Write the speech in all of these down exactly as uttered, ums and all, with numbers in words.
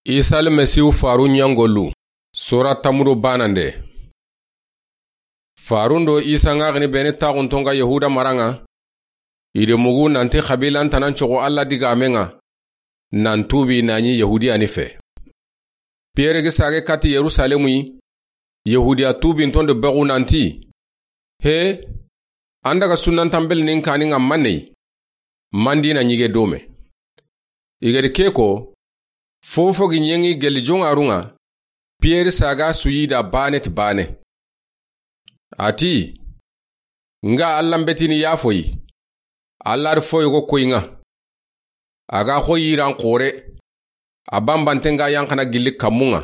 Isa Almasihu faarun ɲangolu. Sura tanmu do baanande. Faarun do Isa ŋaxini bene taaxunton ga Yahuda mara ŋa, i de mugu nanti xabiilantanan coxo Alla digaamen ŋa, nan tuubi na ɲi Yahudiyani fe. Piyere gi saage kati Yerusalemu yi, Yahudiya tuubinton do bexu nanti, he, an daga sunnantanbelinin kaani ŋa manne yi, mandi na ɲige dome. I gedi ke ko, fofo gi ɲeŋi gelli joŋarun ŋa, Piyere saaga su yi da baane ti baane. A ti, nga Alla n betini yaafoyi, Alla di fo yogo koyi ŋa. A ga xo yiran xoore, a banbanten ga yanxana gilli kammun ŋa,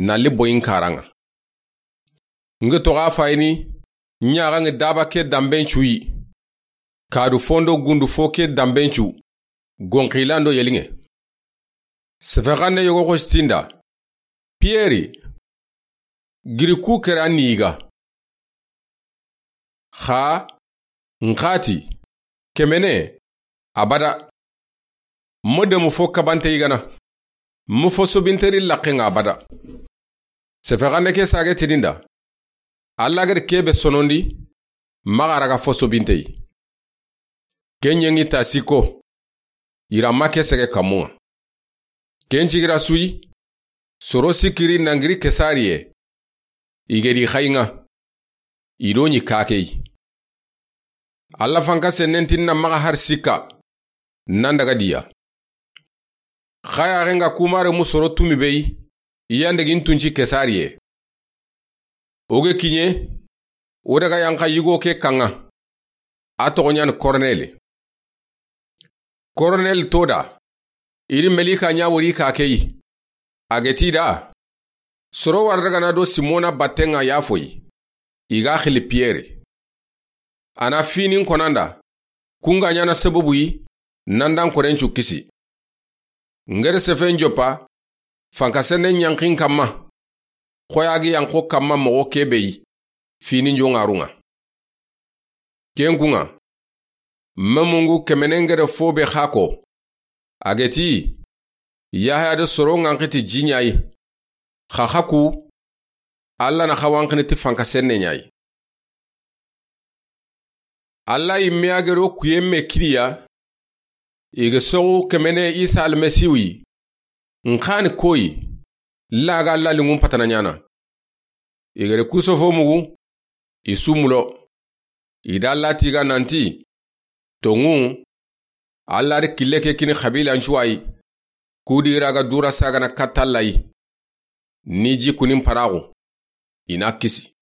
na li boyin kaaran ŋa. Nge toxo a fayini, ɲaxa nge daba ke danben cu yi. Kadu fondo gundu fo ke danben cu, gonxilando yeliŋe. Sefexanne yogo xo sitinda, Piyeri, giri ku kera ni yiga. Xa, n xati, kemene, abada. Mo demu fo kabante yigana. Mo fo sobinteri laqqe ŋa abada. Sefexanne ke saage tininda, Alla gedi kebe sonondi, maxa raga fo sobinte yi. Ke ɲeŋi ta sikko, yira ma ke sege kammun ŋa. Ken cigira su yi, soro sikkiri nangiri Kesariye, i gedi xayi ŋa, i do ɲi kakeyi. Alla fanka sennen tinna maxa har sikka, nan daga diya. Xayaxe nga kumare mu soro tumi beyi, i yandegin tunci Kesariye. O ge kiɲe, o daga yanxa yigo ke kaŋa, a toxo ɲani Korneli. Korneli to da, i di melika ɲa wori kakeyi. A ge ti da, soro wara daga na do Simona batten ŋa yaafoyi, i ga xili Piyeri. A na finin konanda, ku nga ɲana sababu yi, nan dan korencu kisi. Ngeri sefen joppa, fanka senne ɲanxin kamma, xoyagi yanxo kamma moxo kebeyi, finin joŋarun ŋa. Ken kun ŋa, memungu kemenen gede fo be xa ko, a ge ti, Yahaya de soro ŋanxi ti ji ɲa yi, xa xa ku, Alla na xa wanxini ti fanka senne ɲa yi. Alla yimme a gero kuyen me kiriya, i ge soxu kemene Isa Almasihu yi, n xani koyi, laga Alla linŋun patana ɲana. I gere ku sofo mugu, i su mulo. I da Alla tiga nanti, tonŋu, Alla di kille ke kini xabiilancuwayi, ku di raga dura sagana katta Alla yi. Ni ji kunin paraxu, i na kisi.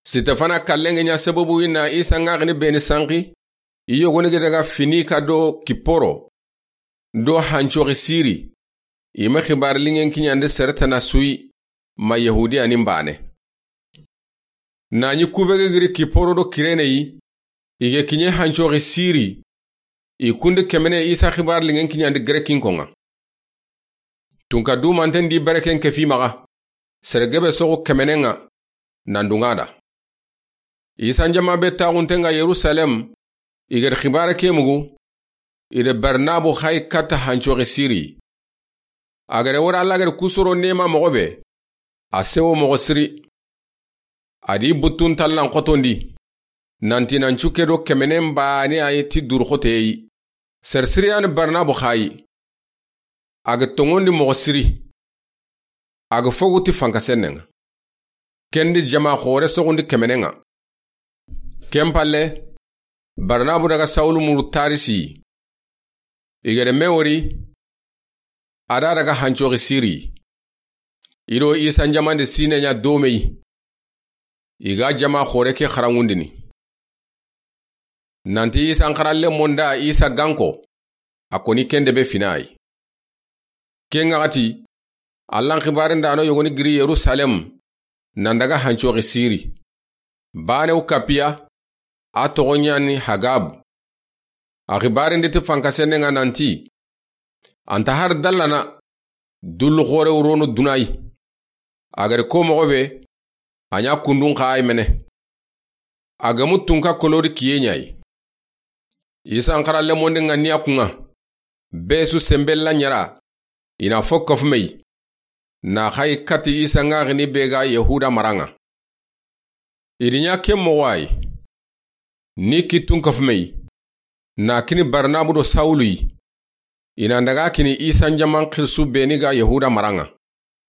Sitefana kallen ge ɲa sababu yi na Isa ŋaxini beni sanxi, i yogoni ge daga Finika do Kiporo, do hancoxi Siri, i ma xibaari linŋen kiɲandi sere tana su yi, ma Yahudiyanin baane. Na ɲi kube ge giri Kiporo do Kirene yi, i ge kiɲe hancoxi Siri, i kundi kemene Isa xibaari linŋen kiɲandi Gerekinkon ŋa. Tunka dumanten di bereken ke fi maxa, sere gebe soxu kemenen ŋa, nan dunŋa da. Isa n jama be taaxunten ŋa Yerusalem, i gedi xibaare ke mugu, i de Barnabu xayi katta hancoxi Siri. A gede wori Alla gedi ku soro nema moxo be, a sewo moxo siri. A di buttun tallan xotondi, nanti nan cukke do kemenen baane a yi ti duru xoteyi. Sere siriyani Barnabu xayi, a ge tonŋondi moxo siri. A ga fogu ti fanka sennen ŋa. Ken di jama xoore soxundi kemenen ŋa. Ken palle, Barnabu daga Sawulu muru Tarisi. I gede me wori, a da daga hancoxi Siri. I do Isa n jaman di sine ɲa domeyi. I ga jama xoore ke xaranŋundini. Nanti Isa n xaralle monda Isa ganko, a koni ken de be fina yi. Ken ŋa xati, Alla n xibaaren da no yogoni giri Yerusalem, nan daga hancoxi Siri. Baanewu kapiya, a toxo ɲani Hagabu. A xibaaren di ti fanka sennen ŋa nanti, anta har dallana, dullu xoore wurono dunayi. A gede ko moxo be, a ɲa kundun xa ay mene. A gemu tunka kolodi kiye ɲayi. Isa n xaralle mondi ŋa niya kun ŋa. Be su senbella ɲara, i na fo kafume yi, na xa yi kati Isa ŋaxini be ga Yahuda mara ŋa. I di ɲa ke moxo yi, ni kittun kafume yi, na kini Barnabu do Sawulu yi, i na daga kini Isa n jaman xirisu be ni ga Yahuda mara ŋa.